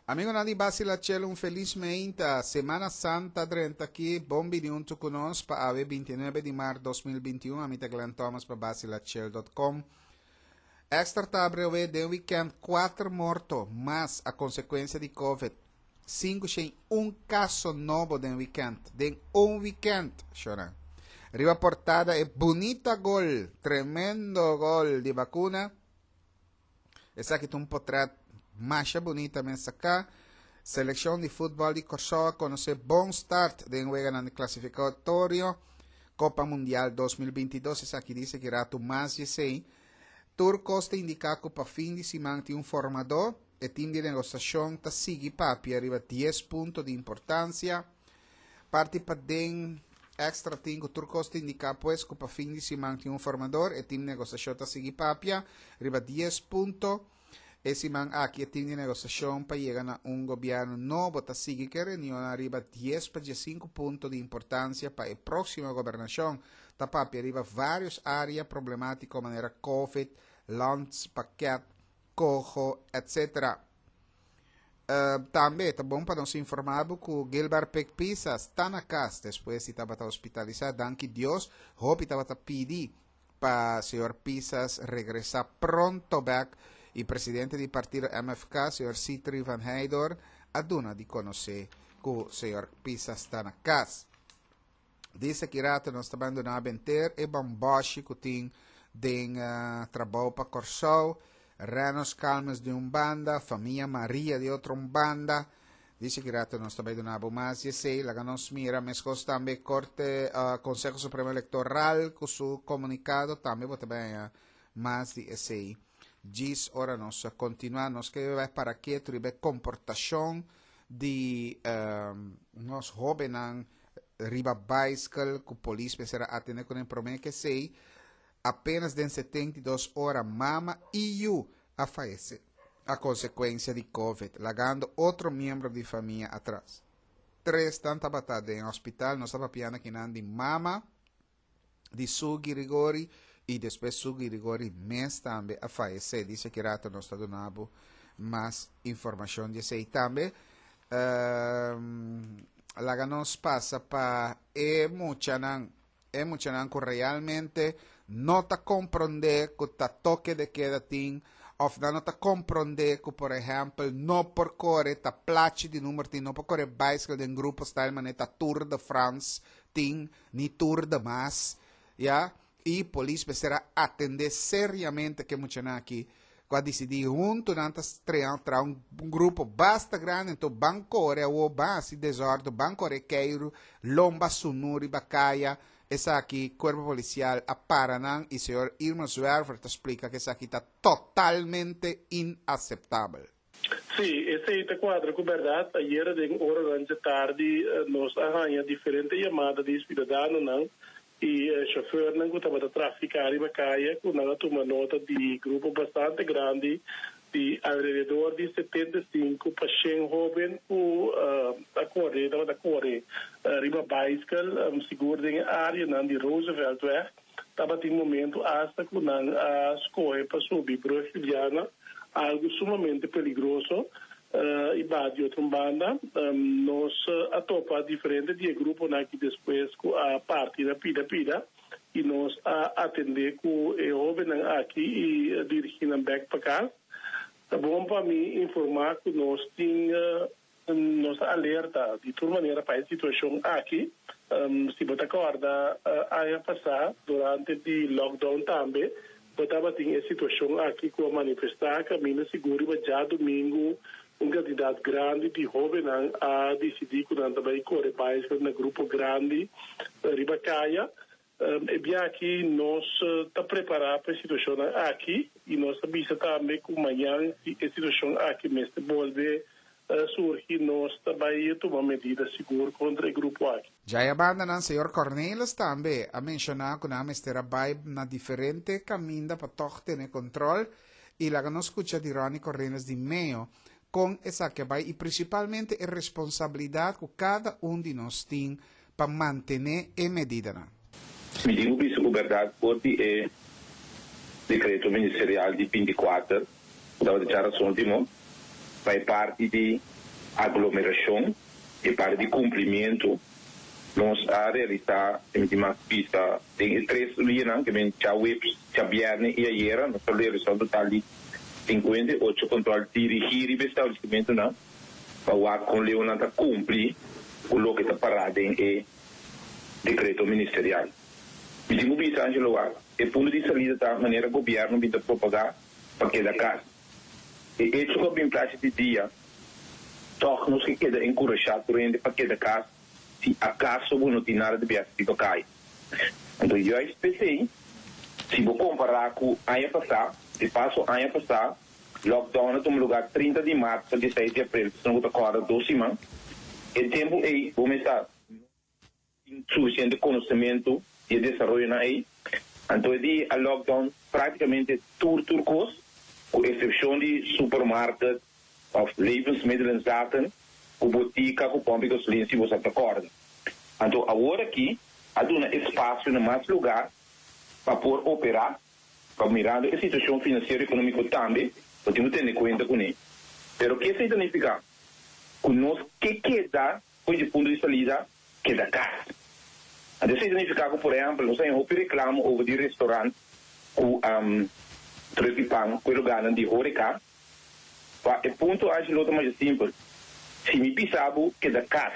Amigonan di Basila Chel un felis meinta. Semana Santa drenta aki. Bon bini huntu ku nos pa awe 29 di mart 2021. Ami ta Glenn Thomas pa basilachel.com. Extra ta abre awe den weekend 4 morto mas a konsekuensia di Covid. 501 kaso nobo den weekend. Den un weekend, shona. Riba portada e bunita gol, tremendo gol di Bacuna. Esaki ta un potret masha bunita mes saká. Selekshon di futbòl di Kòrsou a konosé bon start den weganan di klasifikatorio Kopa Mundial 2022. Esaki dice ki ratu mas di esei. Tur kos ta indiká ku pa fin di siman tin un formadó. E tim di negosiashon ta sigui papia riba dies punto di importansia. Parti paden Extra tin ku tur kos ta indiká pues ku pa fin di siman tin un formador. E tim negosiashon ta sigui papia riba dies punto. E siman aki e tim di negosiashon pa yega na un gobièrnu nobo ta sigui ku e reunionnan riba dies pa diesinku punto di importansia pa e próksimo gobernashon. Ta papia riba vários área problemátiko manera Covid, landspakket, koho, etc. Tambe ta bon pa nos informá bo ku Gilbert Pik Pisas ta na kas despues di tabata hospitalisá. Danki Dios, hopi tabata pidi pa señor Pisas regresá pronto bèk i presidente di partido MFK, señor Sitri van Heydor, a duna di konosé ku señor Pisas ta na kas. Dice ki rato nos ta bandona benter e bamboshi ku tin den uh, trabou pa Kòrsou. Renos Calmes di un banda, famia Maria di otro un banda. Dice ki rato nos ta bai duna bo mas di esei. Laga nos mira meskos tambe Korte uh, Conseho Supremo Electoral ku su komunikado tambe bo ta bai haña mas di esei. Djis ora nos kontinua nos ke bai para ketu riba e komportashon di um, nos hóbennan riba baiskel ku polis mester a atende kuné promé ke esei apenas den 72 ora mama i yu a fayesé a konsekuensia di covid lagando otro miembro di famia atras. Tres nan tabata den hospital nos ta papiando akinan di mama di Su Girigori y despues Su Girigori mes tambe a fayece. Dice ki rato nos ta duna bo mas informacion di esey tambe. Um, laga nos pasa pa e muchanan, e muchanan cu realmente no ta comprende cu ta toque de queda tin of nan no ta comprende cu por ehempel no por core ta plachi di number tin, no por core bicycle den grupo style manera ta Tour de France tin ni tur demas, ya, y polis mester a atende seriamente ke muchanan aki cu a dicidi hunto nan ta strea traha un grupo basta grandi anto ban core awo ban haci desordo ban core keiru lomba sunu riba caya esaki cuerpo policial a para nan y señor Irma Zwerver ta splica cu esaki ta totalmente inaceptabel. Sí, esei ta kuadra ku bèrdat. Ayera den oranan dje tardi nos a haña diferente yamada di siudadanonan i shofèrnan ku tabata trafiká riba kaya ku nan a tuma nota di grupo bastante grandi di alrededor di 75 pa shen hóben ku ta kore, tabata kore riba baiskel, sigur den e áreanan di Rooseveltweg. Tabatin momento asta ku nan a skohe pa subi Brug Juliana, algu sumamente peligroso i baha di otro un banda. Nos a topa diferente di e gruponan aki despues ku a parti na pida pida i nos a atendé ku e hóbennan aki i dirigí nan bèk pa kas. Ta bon pa mi informá ku nos tin Nos ta alerta di tur manera pa e situashon aki. Si bo ta kòrda aña pasá durante di lockdown tambe bo tabatin e situashon aki ku a manifestá kaminda sigur riba djadumingu un kantidat grandi di hóbennan a disidí ku nan ta bai kore baiskel na grupo grandi riba kaya. E bia aki nos ta prepará pa e situashonnan aki i nos ta bisa tambe ku mañan si e situashon aki mester bolbe surgi nos ta bai tuma medida sigur kontra e grupo aki. Djaya bandanan señor Cornelis tambe a menshoná ku nan mester a bai na diferente kaminda pa tòg tene kontrol i laga nos skucha di Ronnie Cornelis di Meo kon esaki a bai i prinsipalmente e responsabilidat ku kada un di nos tin pa mantené e medidanan. Mi tin ku bisa ku bèrdat for di e dekreto ministerial di 24 ku tabata djarason último, Pa e parti di aglomerashon, e parti di kumplimentu, nos a realisá e mi tin mas bisa den e tres dianan, ke men djaweps, djabièrnè i ayera, nos a realisá un total di 58 kòntròl dirigí riba establesimentunan pa wak kon leu nan ta kumpli ku loke ta pará den e dekreto ministerial. Mi tin ku bisa, Angelo, wak, e punto di salida ta manera gobièrnu bin ta propagá pa keda kas. E echo ku a bin plachi di dia, tòg nos ke keda enkurashá tur hende pa keda kas si akaso bo no tin nada di biaha riba kaya. Anto juist p'esei, si bo kompará ku aña pasá, di paso aña pasá lockdown a tuma lugá 30 di mart pa 16 di aprel, personanan ku ta kòrda dos siman, e tempu ei bo mester tin sufisiente konosementu di e desaroyonan ei. Anto e di a lockdown práktikamente tur tur kos, ku eksepshon di supermarket òf levensmiddelenzaken, ku botika, ku pòmp di gasolin si bo sa ta kòrda. Anto awor aki a duna espasio na mas lugá pa por operá, pa mirando e situashon finansiero ekonómiko tambe bo tin ku tene kuenta kuné. Pero ke esei ta nifiká? Ku nos ke keda Fo'i di punto di salida keda kas. Anto esei ta nifiká ku, por ehèmpel, nos a haña hopi reklamo over di restorant ku truk di pan ku e lugánan di hóreka. Pa e punto ashi lo ta masha simpel, si mi bisa bo keda kas,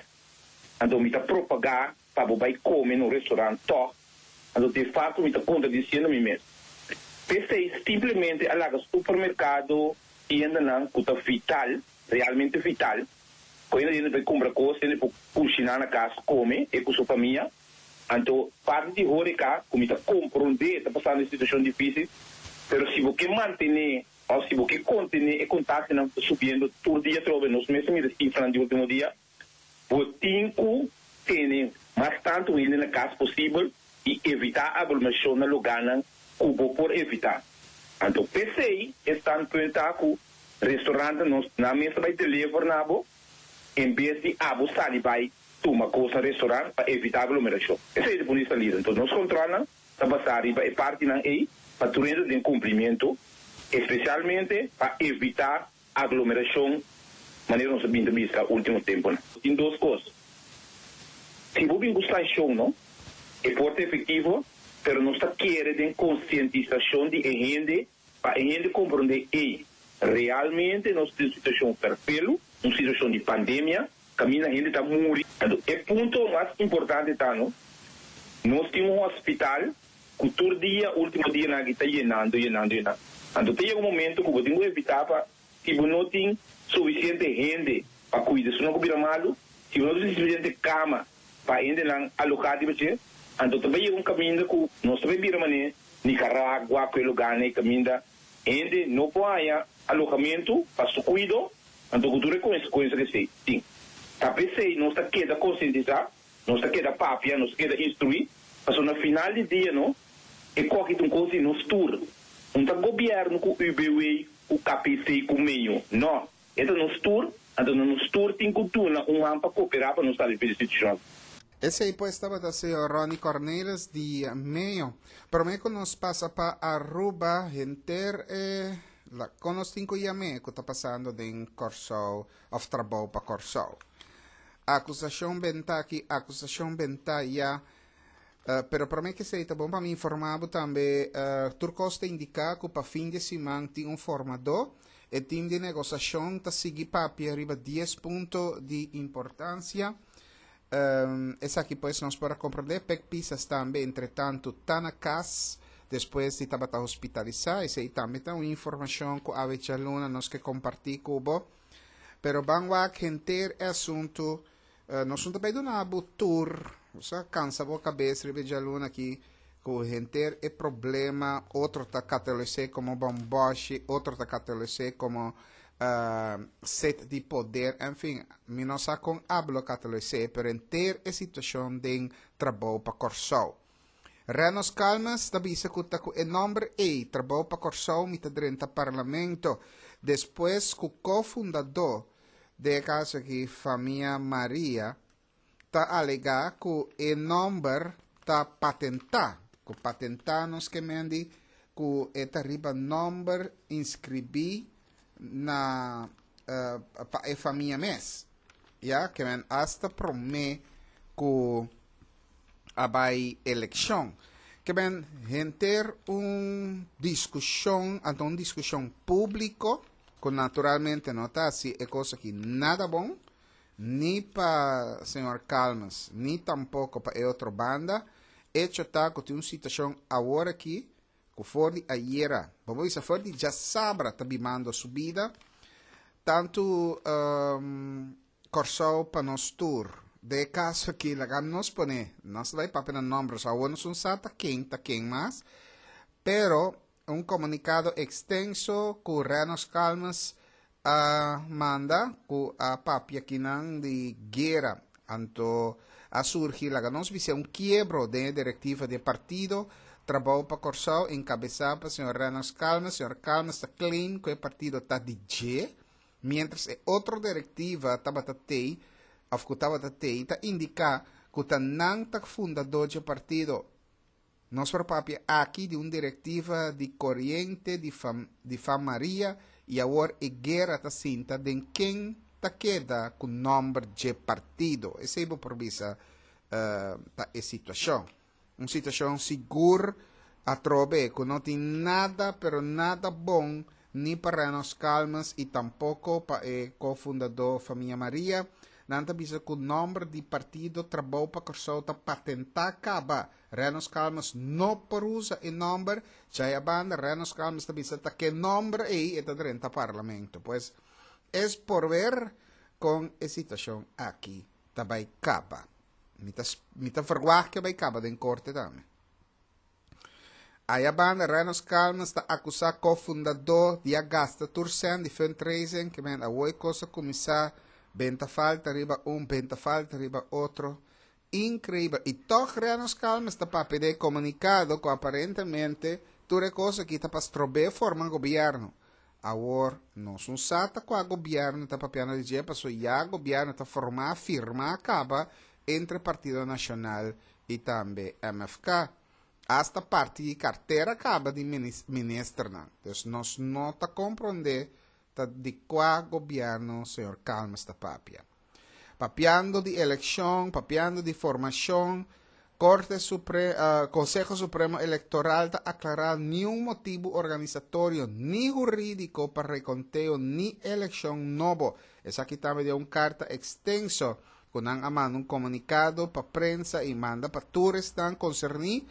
anto mi ta propagá pa bo bai kome na un restorant tòg, anto de fakto mi ta kontradisiendo mi mes. P'esei simplemente a laga supermerkado, tiendanan ku ta vital, realmente vital, Ku hende hende por kumpra kos, hende por kushiná na kas, kome e ku su famia. Anto parti di horeca ku mi ta komprondé ta pasando e situashon difísil, pero si bo ke mantené òf si bo ke kontené e kontagionan ku ta subiendo tur dia atrobe, nos mes a mira sifranan di último dia, bo tin ku tene mas tantu hende na kas posibel i evitá aglomerashon na lugánan ku bo por evitá. Anto p'esei e standpunt ta ku Restaurante nos nan mes ta bai deliver na bo en bes di abo sali bai tuma kos na restaurant pa evita aglomeracion. Esei ta pone salida. Enton nos controlnan ta basa riba e partinan ei pa tur hende den cumplimiento, especialmente pa evita aglomeracion manera nos a bin ta bisa ultimo temponan. Tin dos cos. Si bo bin cu sancion no e por ta efectivo, pero nos ta kere den concientisacion di e hende Pa e hende komprondé ei realmente nos tin un situashon ferfelu, un situashon di pandemia, kaminda hende ta muri. Anto e punto mas importante ta no, nos tin un hospital ku tur dia ultimo dianan aki ta yenando, yenando, yenando. Anto ta yega un momento ku bo tin ku evitá pa si bo no tin sufisiente hende pa kuida esunnan ku bira malu, si bo no tin sufisiente kama pa hendenan aloká riba dje, anto ta bai yega un kaminda ku nos ta bai bira manera Nicaragua ku e lugánan ei kaminda hende no por haña alojamentu pa su kuido, anto ku tur e konsekuensia ku esei tin. Ta p'esei nos ta keda konsientisá, nos ta keda papia, nos ta keda instruí, pasobra na final di dia no e koki ta un kos di nos tur. Un ta gobièrnu ku UBW, ku KPC, ku meño. No, e ta nos tur, anto nos tur tin ku duna un man pa koperá pa nos sali for di situashon aki. Esei pues tabata señor Ronny Cornelis di Meo. Prome cu nos pasa pa Aruba henter e la con nos tin cu yam'e cu ta pasando den Corsou of trabou pa Corsou. Acusacion benta aki, acusacion benta aya. Pero prome cu esei ta bon pa mi informa bo tambe tur cos ta indica cu pa fin di siman tin un formador. E team di negociacion ta sigui papia riba dies punto di importancia. Esaki pues nos por a comprende. Pek Pisas tambe entretanto ta na cas despues di tabata hospitalisá. Esei tambe ta un informacion cu awe djaluna nos ke comparti cu bo. Pero ban wak henter e asunto. Nos no ta bay duna bo tur. Nos a cansa bo cabes riba e djaluna aki cu henter e problema. Otro ta catalogis'é como bomboshi, otro ta catalogis'é como set di poder, en fin, mi no sa kon abo lo catalogis'é, pero henter e situacion den Trabou pa Kòrsou. Renos Calmes ta bisa cu ta cu e nomber ey, Trabou pa Kòrsou, mi ta drenta Parlamento, despues cu co-fundadó, den e caso aki famia Maria, ta alegá ku e nòmber ta patentá, ku patentá nos ke mendi ku e ta riba nòmber inskribí na pa e famia mes. Ya, ke men hasta promé ku a bai elekshon. Ke men henter un diskushon, anto un diskushon públiko, ku naturalmente no ta hasi e kos aki nada bon, ni pa señor Calmes, ni tampoko pa e otro banda. Echo ta ku tin un situashon awor aki ku for di ayera, bo por bisa for di djasabra ta bimando su bida, tantu Kòrsou pa nos tur. Den e kaso aki laga nos pone, nos ta bai papia na nòmber, so awor nos un sa ta ken ta ken mas, pero un komunikado ekstenso ku Renos Calmes a manda ku a papia kinan di guera. Anto a surgi laga nos bisa un kiebro den e direktiva di e partido Trabou pa Kòrsou enkabesá pa señor Renos Calmes. Señor Calmes ta claim ku e partido ta di dje, miéntras e otro direktiva tabata tei òf ku tabata tei ta indiká ku ta nan ta fundadó dje partido. Nos por papia aki di un direktiva di koriente di di Fam Maria i awor e guera ta sinta den ken ta keda ku nòmber dje partido. Esei bo por bisa ta e situashon. Un situashon sigur atrobe ku no tin nada pero nada bon ni pa Renos Calmes i tampoko pa e kofundadó famia Maria. Nan ta bisa ku nòmber di partido Trabou pa Kòrsou ta patentá kaba. Renos Calmes no por usa e nòmber. Djaya banda Renos Calmes ta bisa ta ke nòmber ei e ta drenta parlamento. Pues es por ver kon e situashon aki ta bai kaba. Mi ta mi ta verwagt ke bai kaba den korte tambe. Aya banda Renos Calmes ta akusá kofundadó di a gasta tur sèn di fundraising ke men awor e kos a kuminsá benta falta riba un benta falta riba otro. Inkreibel. I tòg Renos Calmes ta papia den e komunikado ku aparentemente tur e kos aki ta pa strob'é forma gobièrnu. Awor nos un sa ta kua gobièrnu ta papiando di dje pasobra ya gobièrnu ta formá firmá kaba entre Partido Nashonal i tambe MFK. Asta parti di kartera kaba di ministernan. Dus nos no ta komprondé ta di kua gobièrnu señor Calmes ta papia. Papiando di elekshon, papiando di formashon, Korte Supre Konseho Supremo Elektoral ta aklará niun motibu organisatorio ni hurídiko pa rekonteo ni elekshon nobo. Esaki tambe den un karta ekstenso ku nan a manda un komunikado pa prensa i manda pa tur esnan konserní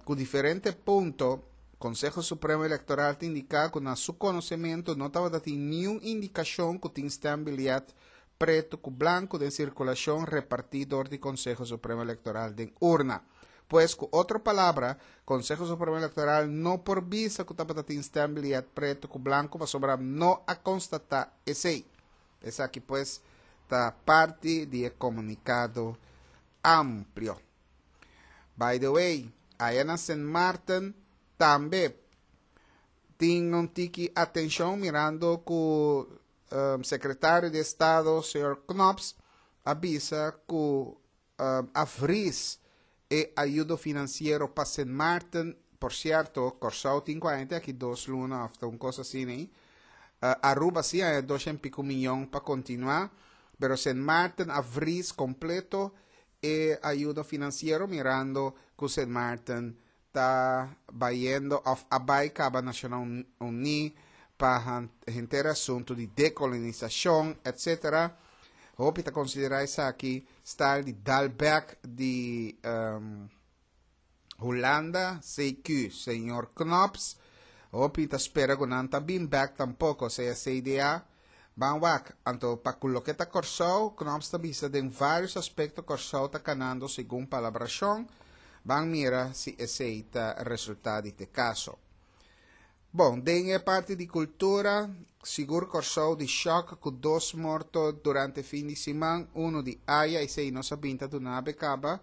ku diferente punto. Konseho Supremo Elektoral ta indiká ku na su konosementu no tabata tin niun indikashon ku tin stembiljet pretu ku blanku den sirkulashon repartí dor di Konseho Supremo Elektoral den urna. Pues ku otro palabra, Konseho Supremo Elektoral no por bisa ku tabata tin stembiljet pretu ku blanku pasobra no a konstatá esei. Esaki pues ta parti di e komunikado amplio. By the way, aya na Sint Maarten tambe tin un tiki atenshon mirando ku um, sekretario di Estado, señor Knops, a bisa ku um, a vries e ayudo finansiero pa Sint Maarten. Por sierto, Kòrsou tin ku a aki dos luna òf ta un kos asina ei. Aruba sí a dos en pico miyon pa kontinuá, pero Sint Maarten a vries kompleto e ayudo finansiero mirando ku Sint Maarten ta bayendo òf a bai kaba Nashonnan Uní pa henter asuntu di dekolonisashon etsetera. Hopi ta konsiderá esaki style di dal bèk di Hulanda, CQ, señor Knops. Hopi ta spera ku nan ta bin bèk tampoko, sea CDA. Ban wak, anto pa ku loke ta Kòrsou, Knops ta bisa den vários aspekto Kòrsou ta kanando segun palabrashon. Ban mira si esei ta resultá di te kaso. Bon, den e parti di kultura, sigur Kòrsou di shòk ku dos morto durante fin di siman, unu di aya, esei nos a bin ta duna abe kaba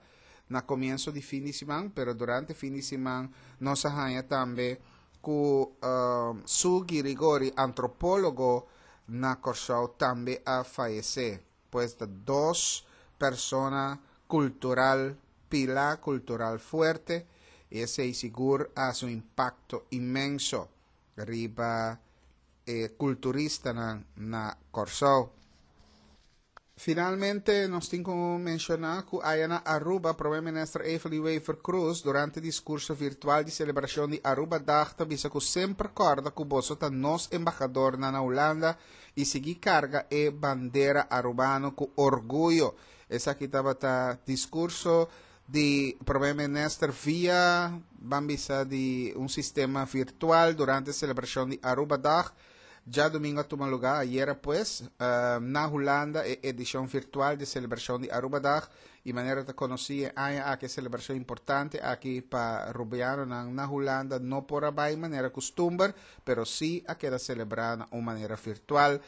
na komienso di fin di siman, pero durante fin di siman nos a haña tambe ku Sue Girigori, antropólogo na Kòrsou tambe a fayesé. Pues ta dos persona kultural, pilá kultural fuerte i esei sigur a hasi un impakto inmenso riba. e kulturistanan na Kòrsou. Finalmente nos tin ku menshoná ku aya na Aruba Prome Minister Evelyn Wever-Croes durante diskurso virtual di selebrashon di Arubadag ta bisa ku semper kòrda ku boso ta nos embahadornan na Hulanda i sigui karga e bandera arubano ku orguyo. Esaki tabata diskurso di Prome Minister via ban bisa di un sistema virtual durante selebrashon di Arubadag. Djadumingo a tuma lugá ayera pues na Hulanda e edishon virtual di selebrashon di Arubadag i manera ta konosí e aña aki e selebrashon importante aki pa rubianonan na Hulanda no por a bai manera kustumber pero sí a keda selebrá na un manera virtual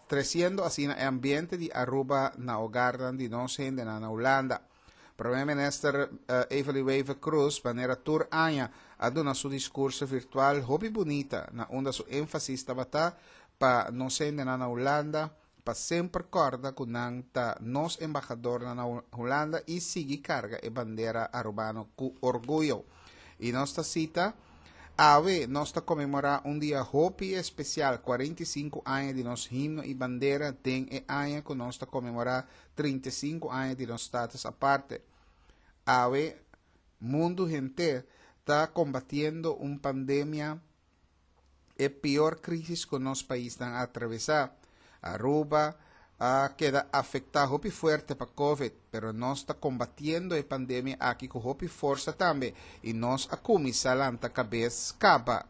tresiendo asina e ambiente di Aruba na hogarnan di nos hendenan na Hulanda. Prome Minister Evelyn Wever-Croes manera tur aña a duna su discurso virtual hopi bunita na unda su enfasis tabata pa nos hendenan na Hulanda pa semper corda cu nan ta nos embahadornan na Hulanda y sigui carga e bandera Arubano cu orguyo. Y nos ta cita, Awe nos ta conmemora un dia hopi especial, 45 aña di nos himno y bandera den e aña cu nos ta conmemora 35 aña di nos status aparte. Awe, mundu henter ta kombatiendo un pandemia, e pior crisis ku nos paisnan a atravesá. Aruba a keda afektá hopi fuerte pa covid, pero nos ta kombatiendo e pandemia aki ku hopi forsa tambe i nos a kuminsá lanta kabes kaba.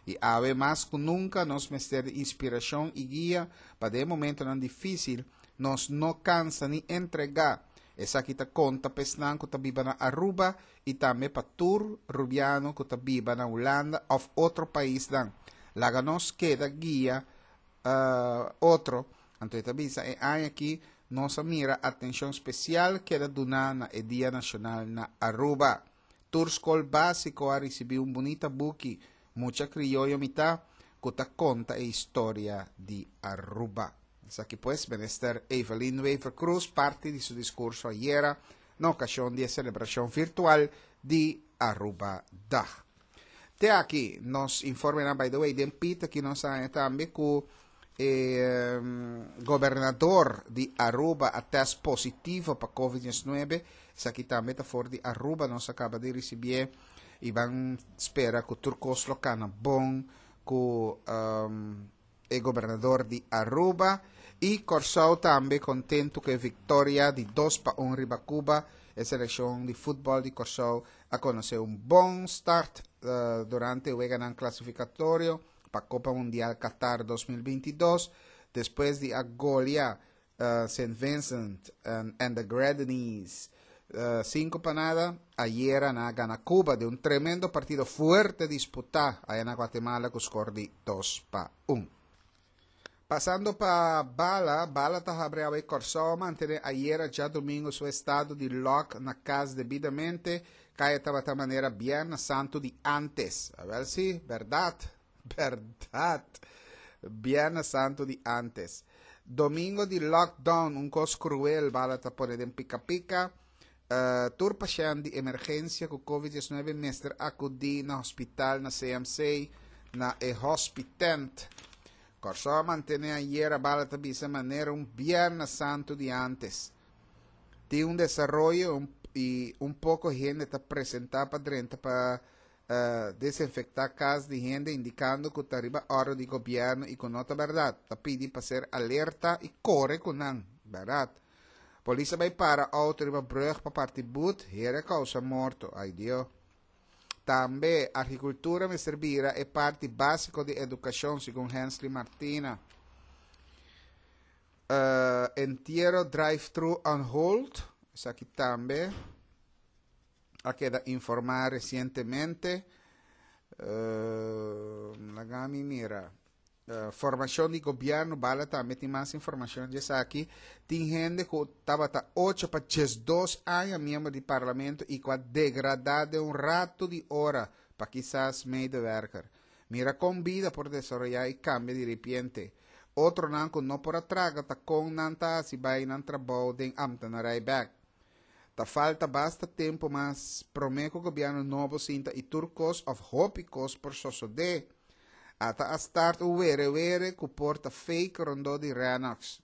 I awe mas ku nunka nos mester di inspirashon i guia pa den e momentonan difísil Nos no cansa ni entrega. Esaki ta conta pa esnan cu ta biba na Aruba y tambe pa tur Rubiano cu ta biba na Hulanda of otro paisnan. Laga nos keda guia otro. Anto e ta bisa e aña aki nos a mira atencion special keda duna na e Dia Nacional na Aruba. Tur scol basico a ricibi un bunita buki Mucha Crioyo Mi Ta cu ta conta e historia di Aruba. Esaki pues Minister Evelyn Wever-Croes parti di su discurso ayera na ocasion di e celebracion virtual di Aruba Dag. Te aki nos informenan, by the way, den pit aki nos a haña tambe cu e gobernador di Aruba a test positivo pa covid 19. Esaki tambe ta for di Aruba nos a caba di ricibié y ban spera cu tur cos lo cana bon cu e gobernador di Aruba. Y Corsou tambe contento cu e victoria di 2-1 riba Cuba. E seleccion di futbol di Corsou a conoce un bon start durante e weganan clasificatorio pa Copa Mundial Qatar 2022 despues di a golia Saint Vincent and the Grenadines 5-0. Ayera nan a gana Cuba den un tremendo partido fuerte disputa aya na Guatemala cu score di 2-1. Pasando pa Bala, Bala ta habri awe Kòrsou a mantené ayera djadumingu su estado di lòk na kas debidamente, kaya tabata manera Bièrnè Santu di ántes. Awèl si, bèrdat, bèrdat, Bièrnè Santu di ántes. Domingo di lockdown, un kos kruel, Bala ta pone den pika pika. Tur pashènt di emergensia ku covid 19 mester akudí na hospital na CMC na e hospitent. Kòrsou a mantené ayera bala ta bisa manera un Bièrnè Santu di ántes. Tin un desaroyo i un poko hende ta presentá pa drenta pa desinfektá kas di hende indikando ku ta riba òrdu di gobièrnu i ku no ta bèrdat. Ta pidi pa ser alerta i kore ku nan. Bèrdat. Polis a bay para auto riba brug pa parti boet, hera causa morto. Ay Dio. Tambe, agricultura mester bira e parti basico di educacion, segun Hensley Martina. Entiero drive-thru on hold, esaki tambe a keda informa recientemente. Laga mi mira. Formacion di gobierno bala tambe tin mas informacion di esaki. Tin hende cu tabata ocho pa 12 aña miembro di parlamento y cu a degrada den un rato di ora pa kisas medewerker. Mira con bida por desaroya y cambia di ripiente. Otronan cu no por a traga ta con nan ta haci bay nan trabou den ambtenarij bek. Ta falta basta tempo mas prome cu gobierno nobo sinta y tur cos of hopi cos por sosode. Ata a start un were were ku por ta fake rondó di Rennox.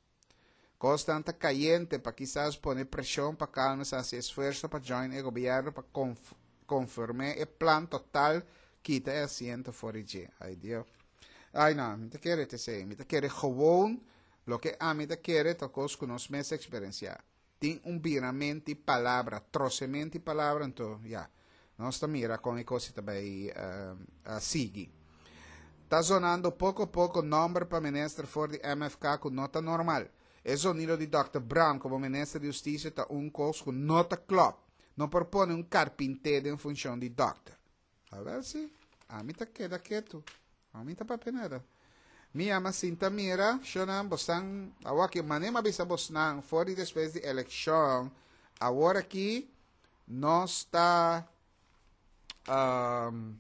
Kosnan ta kayente pa kisas pone preshon pa Calmes hasi esfuerso pa join e gobièrnu pa konfirm'é e plan total kita e asiento for di dje. Ay Dio. Ay no, mi ta kere ta esei. Mi ta kere gewoon loke ami ta kere ta kos ku nos mes eksperensiá. Tin un biramenti palabra, trosementi palabra, anto ya, nos ta mira kon e kos ta bai sigui. Ta zonando poko poko nomber pa minister for di MFK ku no ta normal. E zonido di Dòkter Brown komo minister di hustisia ta un kos ku no ta klòp. No por pone un karpinté den funshon di dòkter. Awel si, ami ta keda ketu. Ami ta papia nada. Mi yama sinta mira, shownan bosnan, awor aki mane m'a bisa bosnan for di despues di elekshon, awor aki nos ta um,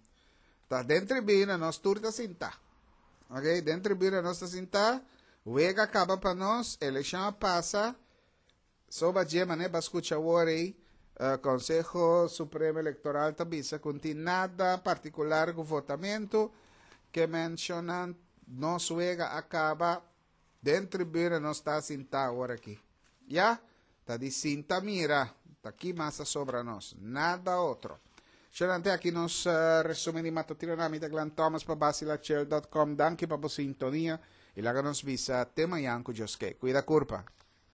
ta den tribuna nos tur ta sinta. Ok, den tribuna nos ta sinta, wega kaba pa nos, elekshon a pasa, Soba dje mane ba scucha awor ey, Conseho Supremo Electoral ta bisa cu n'tin nada particular cu votamento, ke mencionan nos wega a caba, den tribuna nos ta sinta awor aki. Ya, ta di sinta mira, ta ki mas a sobra nos, nada otro. Shonante aki nos resumen di Matutino na mi ta Glenn Thomas pa Basilachel dot com. Danki pa bo sintonia y laga nos bisa te mañan cu Dios ke. Cuida curpa.